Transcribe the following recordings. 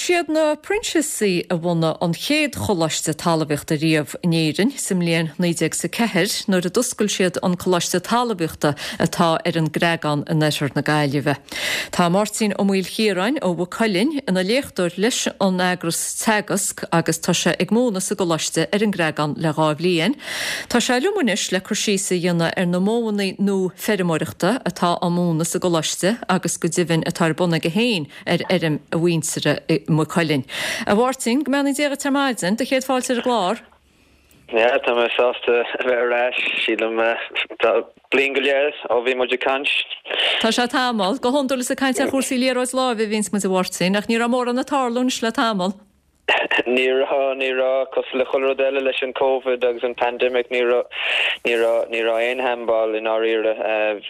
Siad na Proinsiasaigh a bhunaigh an chéad choláiste talmhaíochta riamh in Éirinn sa mbliain 1904 nuair a d'oscail siad an Coláiste Talmhaíochta atá ar an gCreagán in oirthear na Gaillimhe. Tá Máirtín Ó Maoilchiaráin ó Mhaigh Cuilinn ina léachtóir leis an eagras Teagasc agus tá sé ag múineadh sa gcoláiste ar an gCreagán le 2 bhliain. Tá sé liom anois le cur síos a dhéanamh ar na modhanna nua feirmeoireachta atá á múineadh sa gcoláiste agus go deimhin atá ar bun aige féin ar fheirm a mhuintire i Maigh Cuilinn. A Mháirtín, go mbeannaí Dia dhuit ar maidin, do chéad fáilte ar an gclár. Yeah, tá mé sásta a bheith ar ais, sílim. Tá bliain go leith ó bhí muid ag caint. Tá sé tamall. Go hiondúil is ag caint ar chúrsaí liathróid láimhe a bhíonns muid a Mháirtín, ach ní raibh mórán ag tarlú anois le tamall. Ní raibh, ní raibh. Cosúil le chuile rud eile leis an Covid agus an pandemic, ní raibh, ní raibh, ní raibh aon handball i ndáiríre.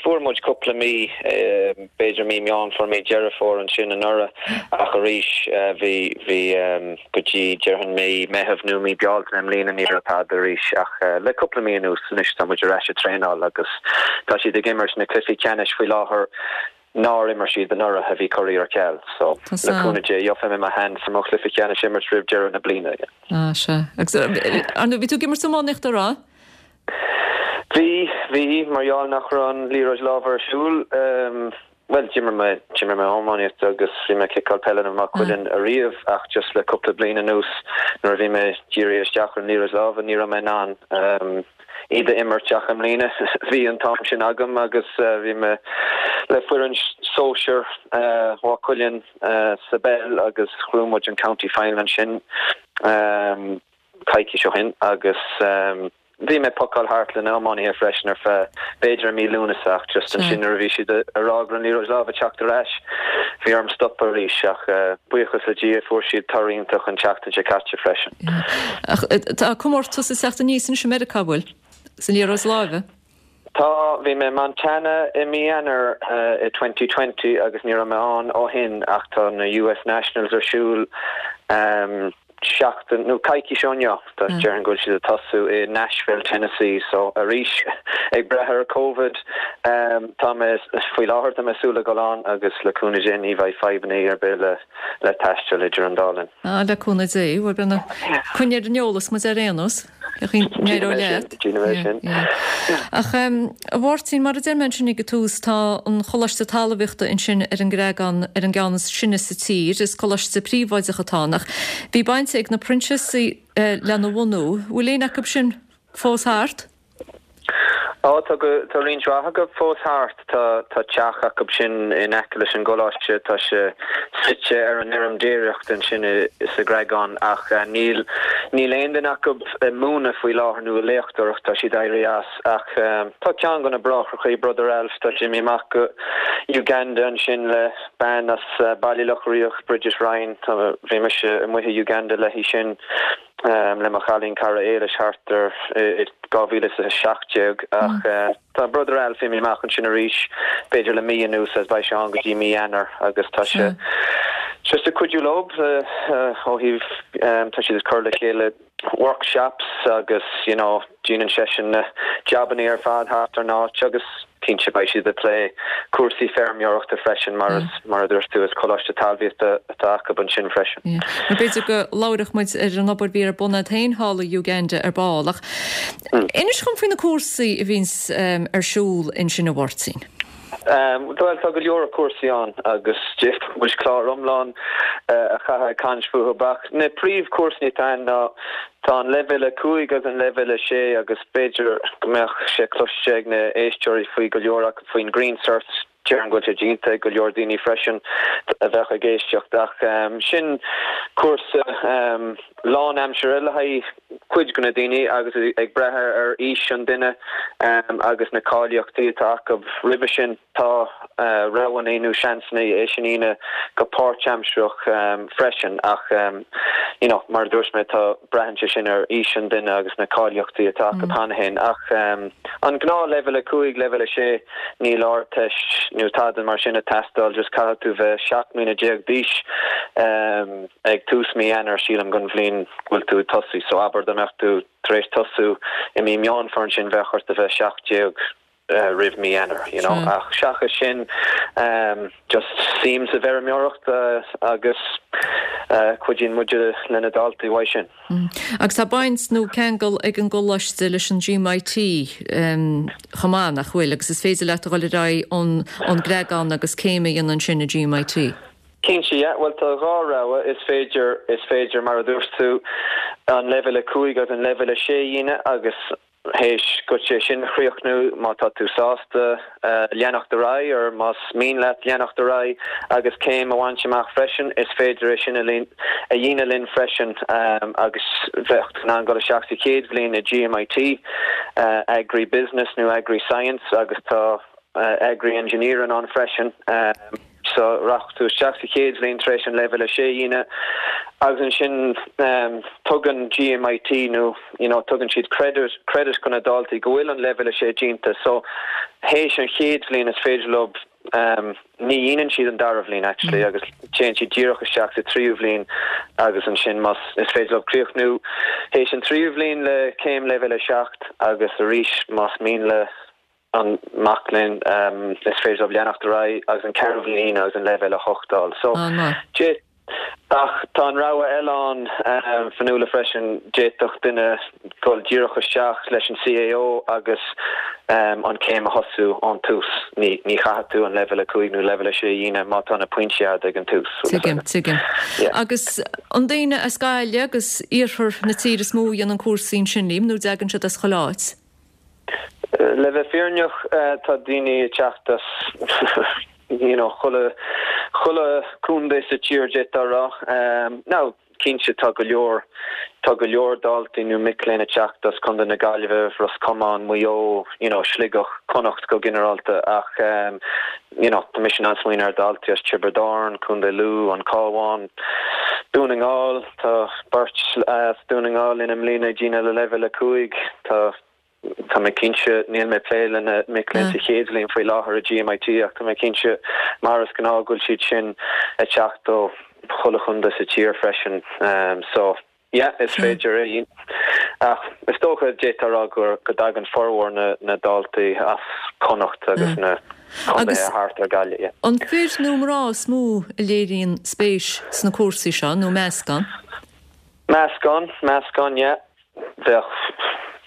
Fuair muid cúpla mí, b'fhéidir mí Meán Fómhair, mí Deireadh Fómhair ansin anuraidh ach arís bhí, bhí go dtí déarfainn mí Meitheamh nó mí Bealtaine i mbliana ní raibh tada arís ach le cúpla mí anuas anois tá muid ar ais ag traenáil agus tá siad ag imirt na cluichí ceannais faoi láthair. nár imir siad anuraidh a bhí curtha ar ceal. So, le cúnamh Dé, gheobhaidh mé mo sheans ar mo chluiche ceannais a imirt roimh deireadh na bliana. Ah, sea. Agus, ar ndóigh, bhí tú ag imirt iománaíochta, an raibh? Bhí, bhí, mar gheall nach raibh an liathróid láimhe ar siúl, bhuel, d'imir mé, d'imir mé iománaíocht agus bhí mé ag ciceáil peile i Maigh Cuilinn ariamh ach just le cúpla bliain anuas nuair a bhí mé dírithe isteach ar an liathróid láimhe ní raibh mé in ann iad a imirt ach i mbliana bhí an t-am sin agam agus bhí mé le foireann sóisir Mhaigh Cuilinn sa bpeil agus ghnóthaigh muid an county final ansin coicís ó shin agus bhí mé ag pocáil thart le na iománaithe freisin ar feadh b'fhéidir i mí Lúnasa ach just ansin nuair a bhí siad ag rá go raibh an liathróid láimhe ag teacht ar ais bhí orm stopadh arís ach buíochas le Dia fuair siad toradh iontach an tseachtain seo caite freisin. Ach tá comórtas ag teacht aníos anois i Meiriceá, an bhfuil? Sa liathróid láimhe? Tá, bhí mé i Montana i mí Eanáir i 2020 agus ní raibh mé ann ó shin ach tá na US Nationals ar siúl seachtain nó coicís ó inniu. Tá, déarfainn go bhfuil siad ag tosú i Nashville, Tennessee so arís ag brath ar Covid tá mé, faoi láthair tá mé ag súil le dhul ann agus le cúnamh Dé ní bheidh fadhbanna ar bith le le taisteal idir an dá linn. Ah, le cúnamh Dé, bhuel, brenna, coinnigh ar an eolas muid ar aon nós. Déanfaidh mé sin, déanfaidh mé sin. Ach, a Mháirtín, mar a deir mé ansin ag an tús, tá an Choláiste Talmhaíochta ansin ar an gCreagán ar an gceann is sine sa tír. Is coláiste príobháideach atá ann, ach bhí baint ag na Proinsiasaigh lena bhunú. Bhfuil éinne acu sin fós thart? Á, tá go, tá roinnt mhaith acu fós thart. Tá, tá teach acu sin in aice leis an gcoláiste, tá sé suite ar an fheirm déiríochta ansin i, sa gCreagán ach níl, níl aon duine acu ag múineadh faoi láthair nó ag léachtóireacht, tá siad éirithe as. Ach tá ceann de na bráithreachaí, Brother Alf, tá sé imithe amach go Uganda ansin le bean as Baile Locha Riach, Bridget Ryan, tá, bhí mise amuigh i Uganda léi sin. le mo chailín cara Éilis thart ar i 2017 ach tá Brother Alf imithe amach ansin arís b'fhéidir le mí anuas agus beidh sé ann go dtí mí Eanáir agus tá sé just ag cuidiú leo ó thaobh tá siad ag cur le chéile workshops agus you know Déanann seisean na jabannaí ar fad thart ar an áit agus cinnte beidh siad ag plé cúrsaí feirmeoireachta freisin mar is, mar a dúirt tú, is coláiste talmhaíochta atá acu ansin freisin. Nó b'fhéidir go labhróidh muid ar an obair a bhí ar bun agat féin thall i Uganda ar ball. Ach inis dhom faoi na cúrsaí a bhíonns ar siúl ansin a Mháirtín. Bhuel, tá go leor cúrsaí ann agus d'fhéadfadh muid clár iomlán a chaitheamh ag caint fúthu ach na príomhchúrsaí atá ann ná tá an leibhéal 5 agus an leibhéal 6 agus b'fhéidir go mbeadh sé cloiste ag na éisteoirí faoi go leor acu faoin Green Cert, déarfainn go bhfuil sé déanta ag go leor daoine freisin a bheadh ag éisteacht ach sin cúrsa lánaimseartha le haghaidh cuid de na daoine agus ag brath ar aois an duine agus na cáilíochtaí atá acu roimhe sin, tá roghanna nó seansanna é sin a dhéanamh go páirtaimsearach freisin ach you know mar a dúirt mé tá, braitheann sé sin ar aois an duine agus na cáilíochtaí atá acu cheana féin ach an gnáth leibhéal 5, leibhéal 6 níl ardteist nó tada mar sin ag teastáil just caithfidh tú bheith 17 mbliana d'aois. Ag tús mí Eanáir, sílim, don bhliain go bhfuil tú ag tosaí. So abair dá mbeadh tú tar éis tosú i mí Meán Fómhair ansin bheadh ort a bheith 17. roimh mí Eanáir, you know. Ach seachas sin, just suim sa bhfeirmeoireacht agus cuidíonn muid le na daltaí uaidh sin. Agus tá baint nó ceangal ag an gcoláiste leis an GMIT chomh maith, nach bhfuil? Agus is féidir leat a dhul ar aghaidh ón gCreagán agus céim a dhéanamh ansin i GMIT. Cinnte, yeah. Bhuel, tá 2 rogha. Is féidir, is féidir, mar a dúirt tú, an leibhéal 5 agus an leibhéal 6 a dhéanamh agus théis duit é sin a chríochnú, má tá tú sásta leanacht ar aghaidh or más mian leat leanacht ar aghaidh agus céim a bhaint amach freisin, is féidir é sin a dhéanamh linn freisin agus bheadh tú in ann dul isteach sa chéad bhliain i GMIT, Agri Business nó Agri Science agus tá Agri Engineering ann freisin. So rachadh tú isteach sa chéad bhliain tar éis an leibhéal 6 a dhéanamh agus ansin tugann GMIT nó you know tugann siad credit credit do na daltaí go bhfuil an leibhéal 6 déanta so théis an chéad bhliain is féidir leo ní dhéanann siad an dara bhliain actually agus téann siad díreach isteach sa tríú bhliain agus ansin más is féidir leo críochnú théis an tríú bhliain le céim leibhéal 7 agus arís más mian le an mac léinn, is féidir leo leanacht ar aghaidh agus an ceathrú bhliain agus an leibhéal 8 a fháil. So, ach tá an rogha eile ann, Fionnuala, freisin, d'fhéadfadh duine dul díreach isteach leis an CAO agus an chéim a thosú ón tús. Ní chaithfidh tú an leibhéal 5 nó leibhéal 6 a dhéanamh má tá na pointí agat ag an tús. Tuigim, tuigim. Agus an daoine as Gaillimh agus iarthar na tíre is mó a dhéanann cúrsaí ansin, Liam, nó dtagann siad as chuile áit? Le bheith fírinneach, tá daoine ag teacht as you know chuile, chuile contae sa tír d'fhéadfá a rá. Now, cinnte tá go leor, tá go leor daltaí nó mic léinn ag teacht as Contae na Gaillimhe, Ros Comáin, Maigh Eo, you know Sligeach, Connacht go ginearálta ach you know tá mise in ann smaoineamh ar daltaí as Tiobraid Árann, Contae Lú, An Cabhán, Dún na nGall, tá beirt as Dún na nGall linn i mbliana ag déanamh le leibhéal 5, tá tá mé cinnte, níl mé ag plé le na mic léinn sa chéad bhliain faoi láthair i GMIT ach tá mé cinnte mar is gnáth go bhfuil siad sin ag teacht ó chuile chontae sa tír freisin so yeah is féidir é ach is dócha d'fhéadfá a rá go go dtagann formhór na na daltaí as Connacht agus na contaetha thart ar Gaillimh yeah. An fir nó mná is mó a léiríonn spéis sna cúrsaí seo nó meascán? Meascán, meascán yeah. Bheadh,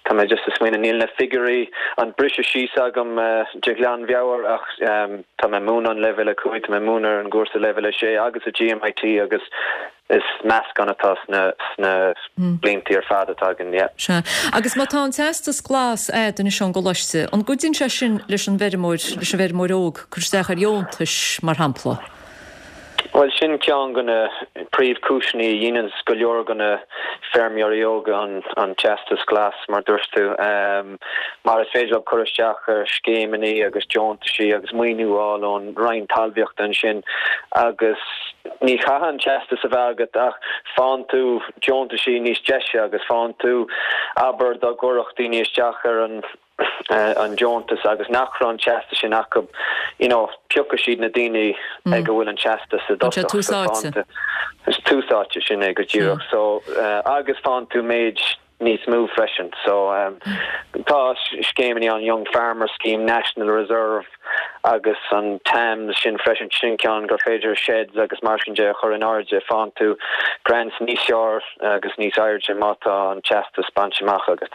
tá mé just ag smaoineamh, níl na figiúirí, an briseadh síos agam de ghlanmheabhair ach tá mé ag múineadh an leibhéal 5, tá mé ag múineadh ar an gcúrsa leibhéal 6 agus i GMIT agus is meascán atá sna, sna bliantaí ar fad atá againn, yeah. Sea. Agus má tá an teastas glas a'd anois ón gcoláiste, an gcuidíonn sé sin leis an bhfeirmeoir, leis an bhfeirmeoir óg cur isteach ar dheontais, mar shampla? Bhuel, sin ceann de na príomhchúiseanna a dhéananns go leor de na feirmeoirí óga an teastas glas, mar dúirt tú, mar is féidir leo cur isteach ar scéimeanna agus deontaisí agus maoiniú a fháil ón Roinn Talmhaíochta ansin agus ní chaithfidh an teastas a bheith agat ach faigheann tú deontaisí níos deise agus faigheann tú, abair, dá gcuirfeadh daoine isteach ar an an deontas agus nach raibh an teastas sin acu, you know, piocfaidh siad na daoine ag a bhfuil an teastas i dtosach. Tús áite. Is tús áite, sin é go díreach. So, agus faigheann tú méid níos mó freisin. So, tá scéimeanna an Young Farmer Scheme, National Reserve agus an TAMS sin freisin, sin ceann gur féidir sheds agus mar sin de a chur in airde, faigheann tú grants níos fearr agus níos airde má tá an teastas bainte amach agat.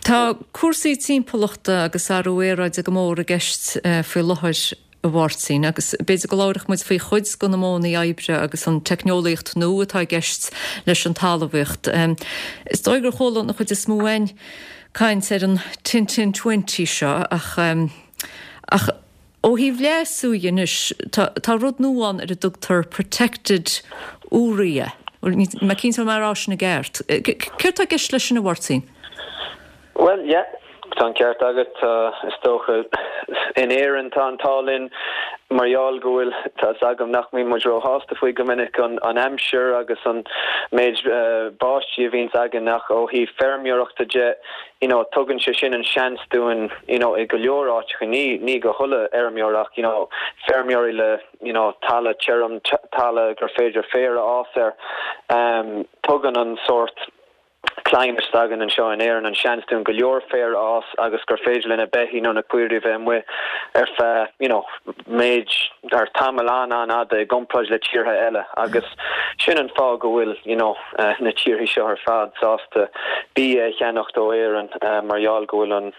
Tá cúrsaí timpeallachta agus athrú aeráide go mór i gceist faoi láthair, a Mháirtín, agus b'fhéidir go labharfadh muid faoi chuid de na modhanna oibre agus an teicneolaíocht nua atá i gceist leis an talmhaíocht. Is dóigh gur chuala an chuid is mó againn caint ar an Tin Tin Twenty seo ach ach ó thaobh leasú dhe anois, tá tá rud nua ann ar a dtugtar protected urea. Níl mé cinnte an bhfuil mé ag rá sin i gceart. Céard tá i gceist leis sin, a Mháirtín? Bhuel, yeah, tá an ceart agat. Tá, is dócha, in Éirinn tá an t-ádh linn mar gheall go bhfuil, tá 'fhios agam nach mbíonn muid róshásta faoi go minic, an an aimsir agus an méid báistí a bhíonns againn ach ó thaobh feirmeoireachta de, you know, tugann sé sin an seans dúinn, you know, i go leor áiteacha, ní, ní go chuile fheirmeoir ach, you know, feirmeoirí le, you know, talamh tirim, talamh gur féidir féar a fhás air, tugann an sórt. climate s'againn anseo in Éirinn, an seans dúinn go leor féir a fhás agus gur féidir le na beithígh nó na caoirigh a bheith amuigh ar feadh you know méid ar tamall an-an-fhada i gcomparáid le tíortha eile agus sin an fáth go bhfuil you know na tíortha seo ar fad sásta bia a cheannacht ó Éirinn mar gheall go bhfuil an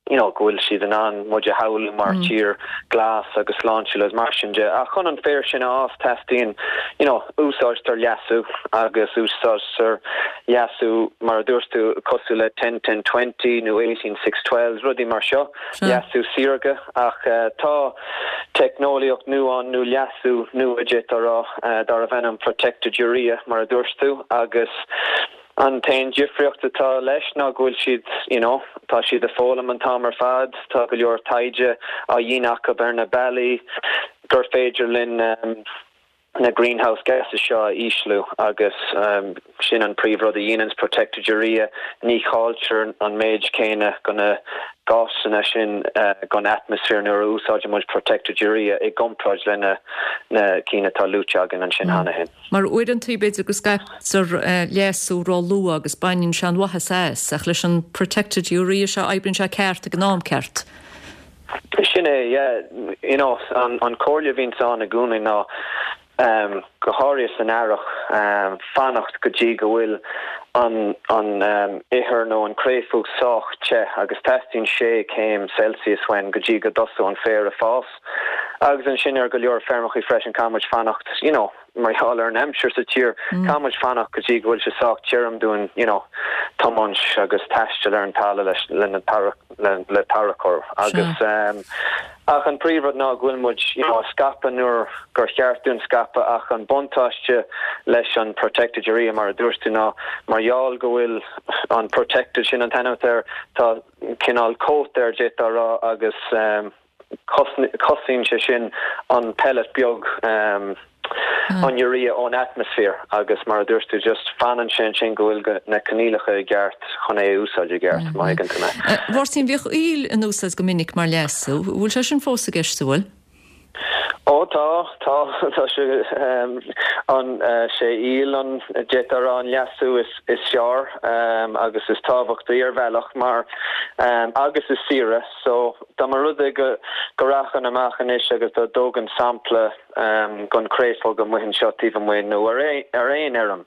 you know, go bhfuil siad in ann muid a shamhlú mar tír glas agus sláintiúil agus mar sin de. Ach chun an féar sin a fhás teastaíonn, you know, úsáidtear leasú agus úsáidtear leasú mar a dúirt tú cosúil le ten ten 20 nó 18 6 12, rudaí mar seo, leasú saorga. Ach tá teicneolaíocht nua ann nó leasú nua d'fhéadfá a rá, darbh ainm protected urea mar a dúirt tú agus, An t-aon difríocht atá leis ná go bhfuil siad, you know, tá siad ag foghlaim an t-am ar fad, tá go leor taighde á dhéanamh acu ar na bealaí gur féidir linn na greenhouse gases seo a ísliú agus sin an príomhrud a dhéananns protected urea, ní chailltear an méid céanna go na gásanna sin gon atmaisféar nuair a úsáideann muid protected urea i gcomparáid le na cinn atá luaite againn ansin cheana féin. Mar uaireantaí b'fhéidir go scaiptear leasú ró-luath agus baineann sé an mhaitheas as, ach leis an protected urea seo oibríonn sé ceart ag an am ceart. Sin é, yeah. You know, an chomhairle a bhíonns ann i gcónaí ná, go háirithe san earrach, fanacht go dtí go bhfuil an an ithir nó an créafóg sách te agus teastaíonn sé céim Celsius uainn go dtí go dtosóidh an féar ag fás. Agus ansin ar go leor feirmeachaí freisin caithfidh muid fanacht, you know, mar gheall ar an aimsir sa tír, caithfidh muid fanacht go dtí go bhfuil sé sách tirim dúinn, you know, tiomáint agus taisteal ar an talamh leis, le na le, le tarracóir. Agus ehm, ach an príomhrud ná go bhfuil muid, you know, ag scaipeadh nuair gur cheart dúinn scaipeadh ach an buntáiste leis an protected urea mar a dúirt tú ná mar gheall go bhfuil an protected sin an t-ainm atá air, tá cineál coat air d'fhéadfá a rá agus ehm, Cosnaíonn sé sin an pellet beag, an urea ón atmaisféar agus mar a dúirt tú just fanann sé ansin go bhfuil na coinníollacha i gceart chun é a úsáid i gceart, má thuigeann tú mé. A Mháirtín, bhíodh aoil in úsáid go minic mar leasú. Bhfuil sé sin fós i gceist, an bhfuil? Ó tá, tá, tá sé, an, sé aoil an, d'fhéadfá a rá an leasú is, is fearr agus is tábhachtaí ar bhealach mar, agus is saoire. So, dá mba rud é go, go rachainn amach anois agus dá dtógainn sampla gon créafóg amuigh anseo taobh amuigh nó ar ar aon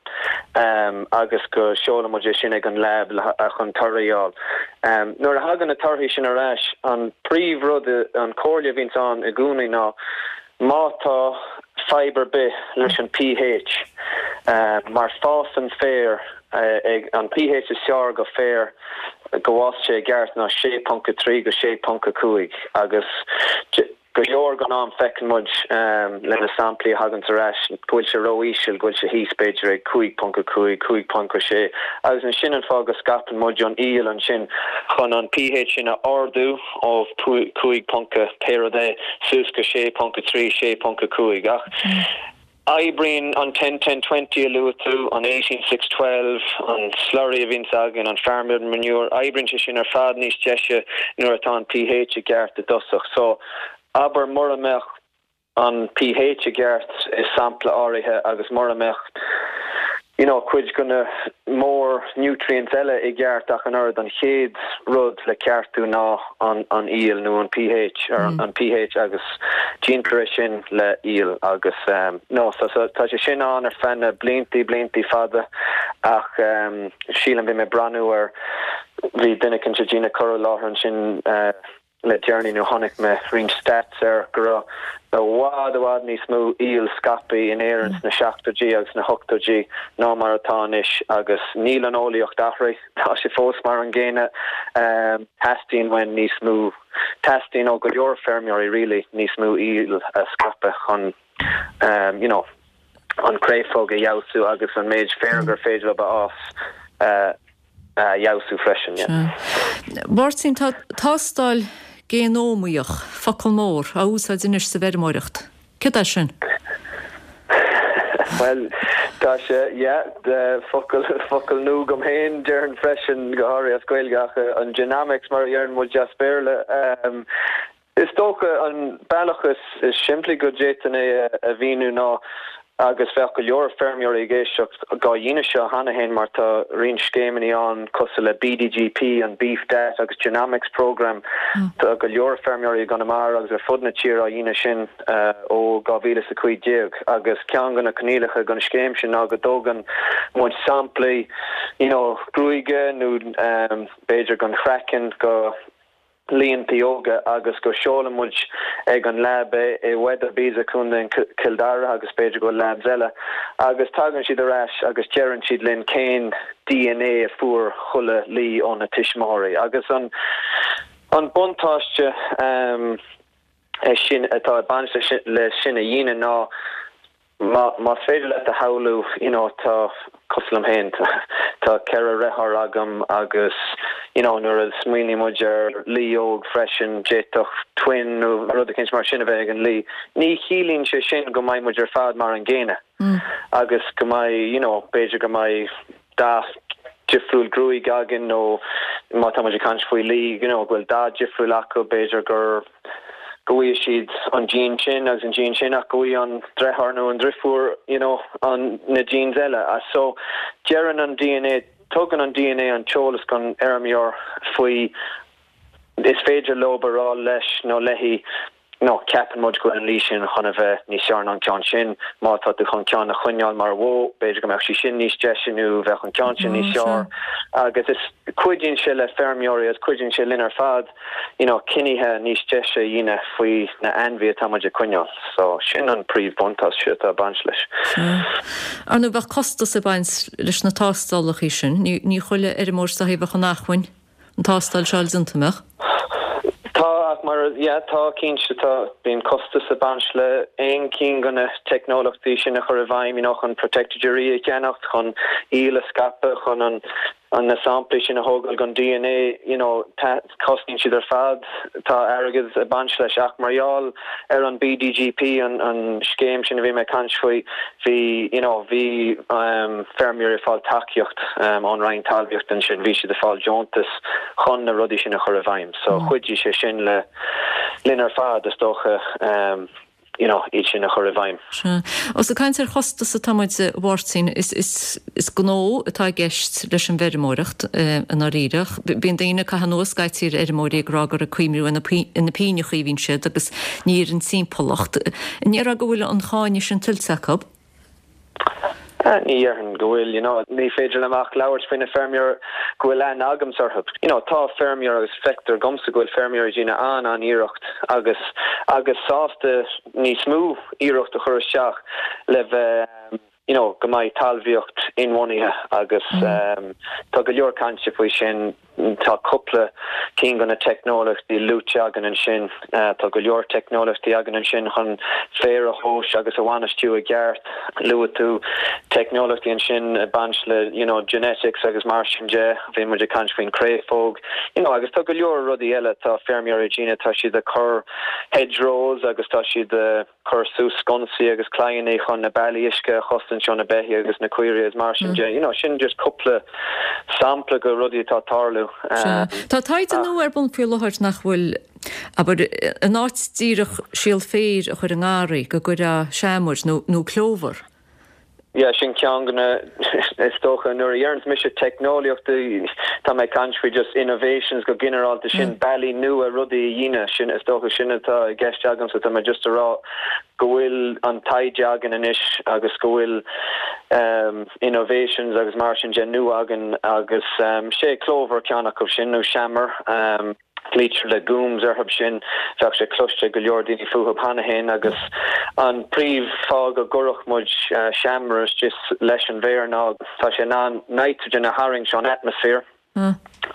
fheirm agus go seolann muid é sin ag an lab le, chun torthaí a fháil. Nuair a thagann na torthaí sin ar ais, an príomh rud, an comhairle a bhíonns ann i gcónaí ná má tá fadhb ar bith leis an pH, mar fásann féar ag an pH is fearr go féar go bhfás sé i gceart ná 6.3 go 6.5 agus go leor gon am feiceann muid le na samplaí a thaganns ar ais go bhfuil sé ró-íseal, go bhfuil sé thíos b'fhéidir ag 5.5, 5.6 agus ansin an fáth go scaipeann muid an aoil ansin chun an pH sin a ardú ó 5 ponc pé rud é suas go 6.3, 6.5 ach Oibríonn an ten ten 20 a luaigh tú, an 18 6 12, an slurry a bhíonns againn, an farmyard manure, oibríonn sé sin ar fad níos deise nuair atá an pH i gceart i dtosach. So, abair mura mbeadh an pH i gceart i sampla áirithe agus mura mbeadh you know, cuid de na mór nutrients eile i gceart ach an oiread, an chéad rud le ceartú ná an an aoil nó an pH, ar an pH agus déantar é sin le aoil agus no so so tá sé sin ann ar feadh na bliantaí bliantaí fada ach sílim bhí mé ag breathnú ar bhí duine éicint ag déanamh cur i láthair ansin le deireanaí nó chonaic mé roinnt stats air go raibh i bhfad i bhfad níos mó aoil scaipthe in Éirinn sna seachtóidí agus sna hochtóidí ná mar atá anois agus níl an eolaíocht athraithe, tá sé fós mar an gcéanna. Teastaíonn uainn níos mó, teastaíonn ó go leor feirmeoirí really níos mó aoil a scaipeadh chun you know an créafóg a fheabhsú agus an méid féir gur féidir leo a fhás a fheabhsú freisin. Sea. Máirtín, tá tástáil géanómaíoch, focal mór, á úsáid anois sa bhfeirmeoireacht. Céard é sin? Bhuel, tá sé, yeah, focal, focal nua dom féin, déarfainn freisin, go háirithe as Gaeilge, ach an genomics mar a deireann muid as Béarla. Is dócha an bealach is simplí go d'fhéadfainn é a mhíniú ná. Agus bheadh go leor feirmeoirí ag éisteacht dhá dhéanamh seo cheana féin mar tá roinnt scéimeanna ann cosúil le BDGP, an Beef Data agus Genomics Programme. Tá go leor feirmeoirí i gConamara agus ar fud na tíre á dhéanamh sin ó 2015 agus ceann de na coinníollacha don scéim sin ná go dtógann muid samplaí you know gruaige nó b'fhéidir den chraiceann go líontaí óga agus go seolann muid ag an lab é i Weatherby's i Contae Chill Dara agus b'fhéidir go bhfuil labs eile agus tagann siad ar ais agus deireann siad linn cén dna a fuair chuile lao ó na tuismitheoirí agus an an buntáiste é sin atá ag baint leis sin a dhéanamh ná Más féidir leat a shamhlú, you know, tá, cosúil liom féin, tá 4 dheartháir agam agus, you know, nuair a smaoiníonn muid ar lao óg freisin, d'fhéadfadh twin nó rud eicínt mar sin a bheith ag an lao. Ní chiallaíonn sé sin go mbeidh muid ar fad mar an gcéanna agus go mbeidh, you know, b'fhéidir go mbeidh dath difriúil gruaig againn nó má tá muid ag caint faoi lao, you know, go bhfuil dath difriúil acu, b'fhéidir gur go bhfaighidh siad an gene sin agus an gene sin ach go bhfaighidh an deartháir nó an driofúr you know an na genes eile. So deireann an dna, tugann an dna an t-eolas don fheirmeoir faoi is féidir leo a rá leis nó léi nó ceapann muid go bhfuil an lao sin chun a bheith níos fearr ná an ceann sin, má tá tú chun ceann a choinneáil mar bhó, b'fhéidir go mbeadh sí sin níos deise nó bheadh an ceann sin níos fearr agus is cuidíonn sé le feirmeoirí agus cuidíonn sé linn ar fad you know cinnithe níos deise a dhéanamh faoi na ainmhithe atá muid ag coinneáil. So sin an príomhbhuntáiste atá ag baint leis. Sea. Ar ndóigh bheadh costas ag baint leis na tástálacha sin. Ní ní chuile fheirmeoir is dóichí a bheadh in acmhainn an tástáil seo a fháil déanta, an mbeadh? Tá, ach mar, yeah, tá cinnte, tá, bíonn costas ag baint le aon cinn de na teicneolaíochtaí sin a chur i bhfeidhm, you know, chun protected urea a cheannacht, chun aoil a scaipeadh, chun an, an na samplaí sin a thógáil don dna, you know, cosnaíonn siad ar fad, tá airgead ag baint leis ach mar gheall ar an BDGP, an an scéim sin a bhí mé ag caint faoi, bhí, you know, bhí feirmeoirí ag fáil tacaíocht ón Roinn Talmhaíochta ansin, bhí siad ag fáil deontas chun na rudaí sin a chur i bhfeidhm. So chuidigh sé sin le linn ar fad, is dócha. you know, iad sin a chur i bhfeidhm. Sea. Ós ag caint ar chostas atá muid, a Mháirtín, is, is, is gnó atá i gceist leis an bhfeirmeoireacht, i ndáiríre. Bíonn daoine ag caitheamh anuas scaití ar fheirmeoirí ag rá gur ag cuimhniú ar na, ar na pingneachaí a bhíonn siad agus ní ar an timpeallacht. An ndéarfá go bhfuil an cáineadh sin tuillte acu? Ní dhéarfainn go bhfuil, you know. Ní féidir liom ach labhairt faoi na feirmeoirí go bhfuil aithne agamsa orthu. You know, tá feirmeoirí agus feictear dhomsa go bhfuil feirmeoirí ag déanamh an-an-iarracht agus agus sásta níos mó iarracht a chur isteach le bheith, you know, go mbeidh talmhaíocht inbhuanaithe agus tá go leor cainte faoi sin. Tá cúpla cinn de na teicneolaíochtaí luaite againn ansin. Tá go leor teicneolaíochtaí againn ansin chun féar a thomhas agus a bhainistiú i gceart. Luaigh tú teicneolaíochtaí ansin ag baint le you know genetics agus mar sin de. Bhí muid ag caint faoin créafóg you know agus tá go leor rudaí eile atá feirmeoirí ag déanamh. Tá siad ag cur hedgerows agus tá siad ag. cur suas sconsaí agus claíonnaí chun na bealaí uisce a chosaint ó na beithígh agus na caoirigh agus mar sin de. You know, sin just cúpla sampla de rudaí atá ag tarlú. Sea. Tá taighde nua ar bun faoi láthair nach bhfuil, abair, in áit díreach síol féir a chur i ngarraí, go gcuirfeá seamair nó, nó clóbhar. Yeah, sin ceann de na, is dócha, nuair a dheireanns mise teicneolaíochtaí, tá mé ag caint faoi just innovations go ginearálta, sin bealaí nua rudaí a dhéanamh, sin, is dócha, sin atá i gceist agamsa, tá mé just a rá go bhfuil an taighde againn anois agus go bhfuil innovations agus mar sin de nua againn agus sé clóbhar ceann acu sin nó seamair. Glaoitear legumes orthu sin. Bheadh sé cloiste ag go leor daoine fúthu cheana féin agus an príomh fáth go gcuirfeadh muid seamair istigh leis an bhféar ná tá sé in ann nitrogen a tharraingt ón atmaisféar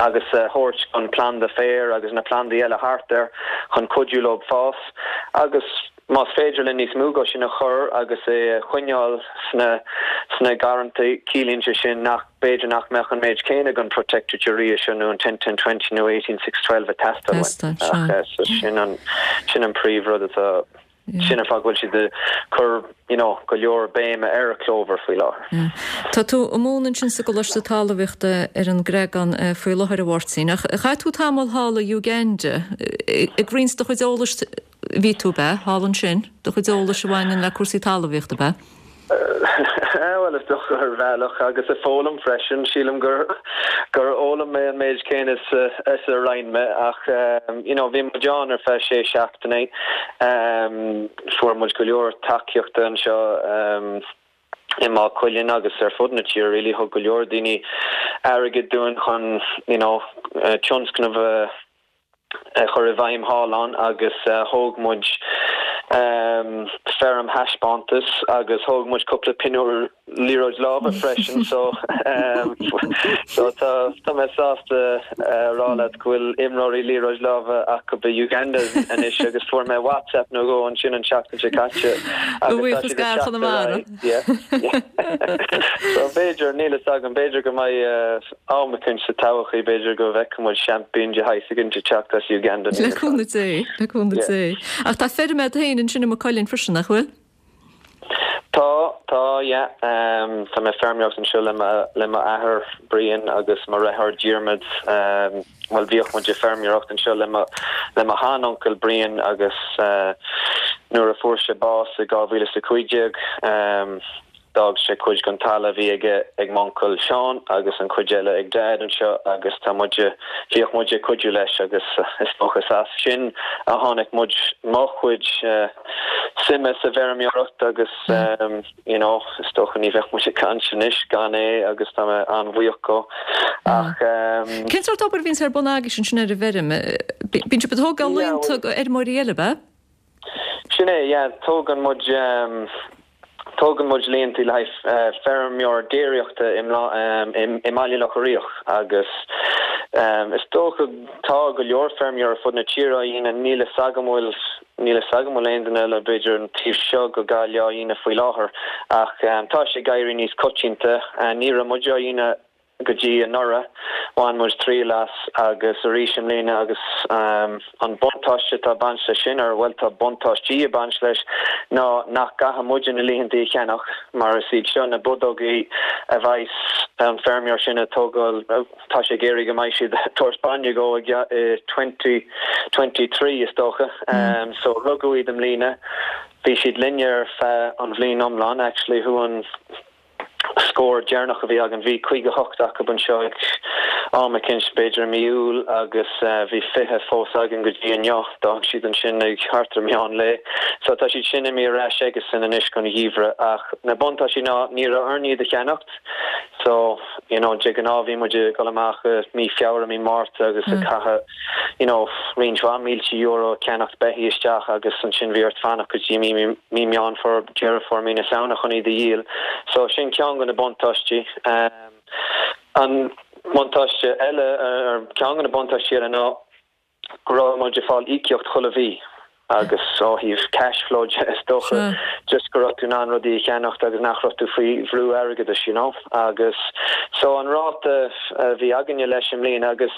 agus a thabhairt don planda féir agus na plandaí eile thart air chun cuidiú leo fás agus más féidir linn níos mó de sin a chur agus é a choinneáil sna sna garrantaí ciallaíonn sé sin nach b'fhéidir nach mbeadh an méid céanna den protected urea seo nó an 10 10 20 nó 18 6 12 ag teastáil uainn. Ach so sin an sin an príomhrud atá sin an fáth go bhfuil siad ag cur you know go leor béime ar clóbhar faoi láthair. Tá tú ag múineadh ansin sa gColáiste Talmhaíochta ar an gCreagán faoi láthair a Mháirtín ach chaith tú tamall thall i Uganda ag roinnt do chuid eolais Bhí tú, ab ea, thall ansin, do chuid eolais a bhaineann le cúrsaí talmhaíochta, ab ea? bhuel is dócha ar bhealach agus ag foghlaim freisin. Sílim gur gur fhoghlaim mé an méid céanna is is a roinn mé ach you know bhí muid ann ar feadh sé seachtainí. Fuair muid go leor tacaíochta anseo i Maigh Cuilinn agus ar fud na tíre really. Thug go leor daoine airgead dúinn chun you know tionscnamh a a chur i bhfeidhm thall ann agus thóg muid feirm thaispeántais agus thóg muid cúpla pinniúr liathróid láimhe freisin so so tá tá mé sásta a rá leat go bhfuil imreoirí liathróid láimhe acu i Uganda anois agus fuair mé WhatsApp nó dhó ansin an tseachtain seo caite agus tá siad ag teacht ar aghaidh. Yeah. So b'fhéidir, níl fhios agam, b'fhéidir go mbeidh am eicínt sa todhchaí, b'fhéidir go bhfeicfidh muid seaimpín de shaghas eicínt ag teacht as Uganda, níl Le fhios agam. cúnamh Dé, le cúnamh Yeah. Dé. Ach tá feirm agat féin ansin i Maigh Cuilinn freisin, nach bhfuil? Tá, tá, yeah. Tá mé ag feirmeoireacht anseo le mo, le m'athair Brian agus mo dheartháir Diarmuid. Bhuel, bhíodh muid ag feirmeoireacht anseo le mo, le mo shean-uncail Brian agus nuair a fuair sé bás i 2015, d'fhág sé cuid den talamh a bhí aige ag m'uncail Seán agus an chuid eile ag Daid anseo agus tá muid, bhíodh muid ag cuidiú leis agus is dócha is as sin a tháinig muid, mo chuid suime sa bhfeirmeoireacht agus. you know, is dócha ní bheadh muid ag caint anois gan é agus tá mé an-bhuíoch dhó. Ach ehm. Cén sórt obair a bhíonns ar bun agaibhse ansin ar an bhfeirm? Bíonn sibh ag tógáil laonta do fheirmeoirí eile, ab ea? Sin é, yeah, tógann muid ehm, tógann muid líontaí le haghaidh feirmeoir déiríochta i i mBaile Locha Riach agus ehm, is dócha tá go leor feirmeoir ar fud na tíre á dhéanamh, níl fhios agam bhfuil Níl fhios agam bhfuil aon duine eile, b'fhéidir, an taobh seo go Gaillimh á dhéanamh faoi láthair, ach tá sé ag éirí níos coitianta. Ní raibh muid á dhéanamh go dtí anuraidh, bhain muid triail as agus arís i mbliana agus an buntáiste atá ag baint leis sin, or bhuel tá buntáistí ag baint leis, ná nach gcaithfidh muide na líontaí a cheannach mar is iad seo na bodógaí a bheas an feirmeoir sin ag tógáil, Tá sé ag iarraidh go mbeidh siad ag tabhairt bainne dhó i 2023 is dócha. So rugadh iad i mbliana. Bhí siad linne ar feadh an bhliain iomlán actually. Thú an scór deireanach a bhí againn bhí 58 acu anseo ag am eicínt b'fhéidir i mí Iúil agus bhí 20 fós againn go dtí inniu. D'fhág siad ansin ag thart ar meán lae. So tá siad sin imithe ar ais aigesan anois don gheimhreadh ach na buntáistí ná ní raibh orainn iad a cheannacht. So, you know, de ghnáth bhí muid ag dul amach i mí Feabhra, mí Márta agus ag caitheamh, you know, roinnt mhaith mílte euro ag ceannacht beithígh isteach agus ansin bhí ort fanacht go dtí mí, mí Meán Fómhair, Deireadh Fómhair, mí na Samhna chun iad a dhíol. So sin ceann de na buntáistí. An buntáiste eile, ar ceann de na buntáistí eile ná, go raibh muid ag fáil íocaíocht chuile mhí agus ó thaobh cash flow de is dócha just go raibh tú in ann rudaí a cheannacht agus nach raibh tú faoi bhrú airgeadais you know agus so an ráta a bhí againne leis i mbliana agus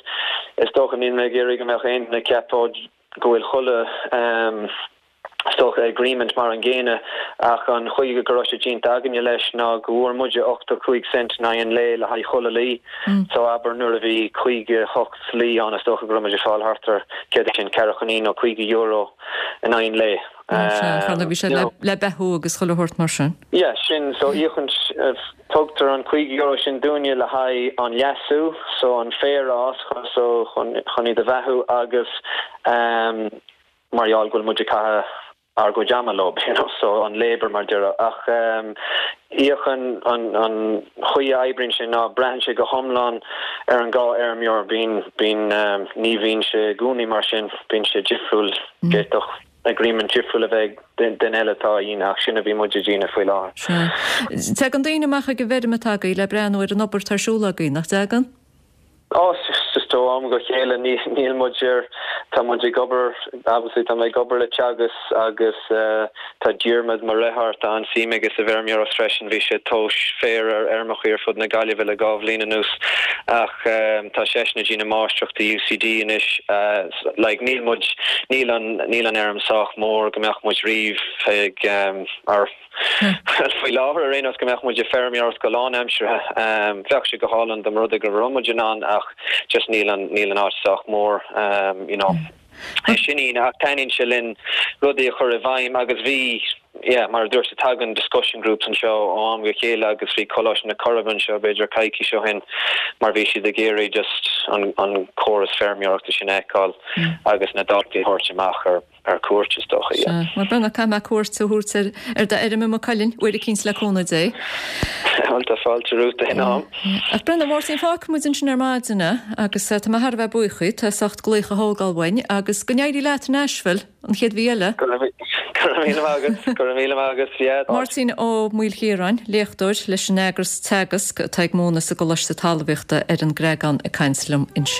is dócha níl mé ag iarraidh go mbeadh aon duine ag ceapadh go bhfuil chuile ehm is dócha, agreement mar an gcéanna, ach an chaoi go raibh sé déanta againne leis ná go bhfuair muide 85 cent in aghaidh an lae le haghaidh chuile lao. So abair nuair a bhí 58 lao ann is dócha go raibh muid ag fáil thart ar, céard é sin, ceathracha naoi nó €50 in aghaidh an lae. Sea, bhí sé le beathú agus chuile shórt mar sin. Yeah, sin, so íocann, tugtar an €50 sin dúinne le haghaidh an leasú, so an féar a fhás so chun iad a bheathú agus mar gheall go bhfuil muid ag caitheamh ár gcuid ama leo, you know, so an labour mar déarfá. Ach íocann an an chaoi a oibríonn sé ná braitheann sé go hiomlán ar an dhá fheirmeoir, bíonn bíonn ní bhíonn sé i gcónaí mar sin, bíonn sé difriúil, d'fhéadfadh agreement difriúil a bheith ag duine eile atá á dhéanamh ach sin a bhí muid ag déanamh faoi láthair. Sea. Tagann daoine amach ag an bhfeirm atá agaibh le breathnú ar an obair atá ar siúl agaibh, nach dtagann? Ó, just ó am go chéile, níl muid ar, tá muid ag obair, obviously tá mé ag obair le Teagasc agus tá Diarmuid, mo dheartháir, tá an-suim aige sa bhfeirmeoireacht freisin, bhí sé ag tomhas féir ar fheirmeacha ar fud na Gaillimhe le dhá bhliain anuas ach tá seisean ag déanamh máistreachta i UCD anois, like níl muid, níl an, níl an fheirm sách mór go mbeadh muid riamh ag, ar. Faoi láthair, ar aon nós, go mbeadh muid ag feirmeoireacht go lánaimseartha. Bheadh sé go hálainn dá mba rud é go raibh muid in ann ach just níl an, níl an áit sách mór, you know. É sin í, ach taitníonn sé linn rudaí a chur i bhfeidhm agus bhí. Yeah, mar a dúirt tú, tagann discussion groups anseo ó am go chéile agus bhí Coláiste na Coiribe anseo b'fhéidir coicís ó shin mar bhí siad ag iarraidh just an an córas feirmeoireachta sin a fheiceáil agus na daltaí a thabhairt amach ar ar cuairt is dócha, yeah. Sea, bhuel Breandán, caithfidh mé cuairt a thabhairt ar ar d'fheirm i Maigh Cuilinn uair eicínt le cúnamh Dé. Bhuel, tá fáilte romhat aon am. Ach Breandán, a Mháirtín, fágfaidh muid ansin ar maidin é agus tá mé thar a bheith buíoch díot as ucht glaoch a thógáil uainn agus go n-éirí leat i Nashville an chéad mhí eile. Go raibh míle maith agat, go raibh míle maith agat, yeah. Máirtín Ó Maoilchiaráin, léachtóir leis an eagras Teagasc atá ag múineadh sa gColáiste Talmhaíochta ar an gCreagán ag caint liom ansin.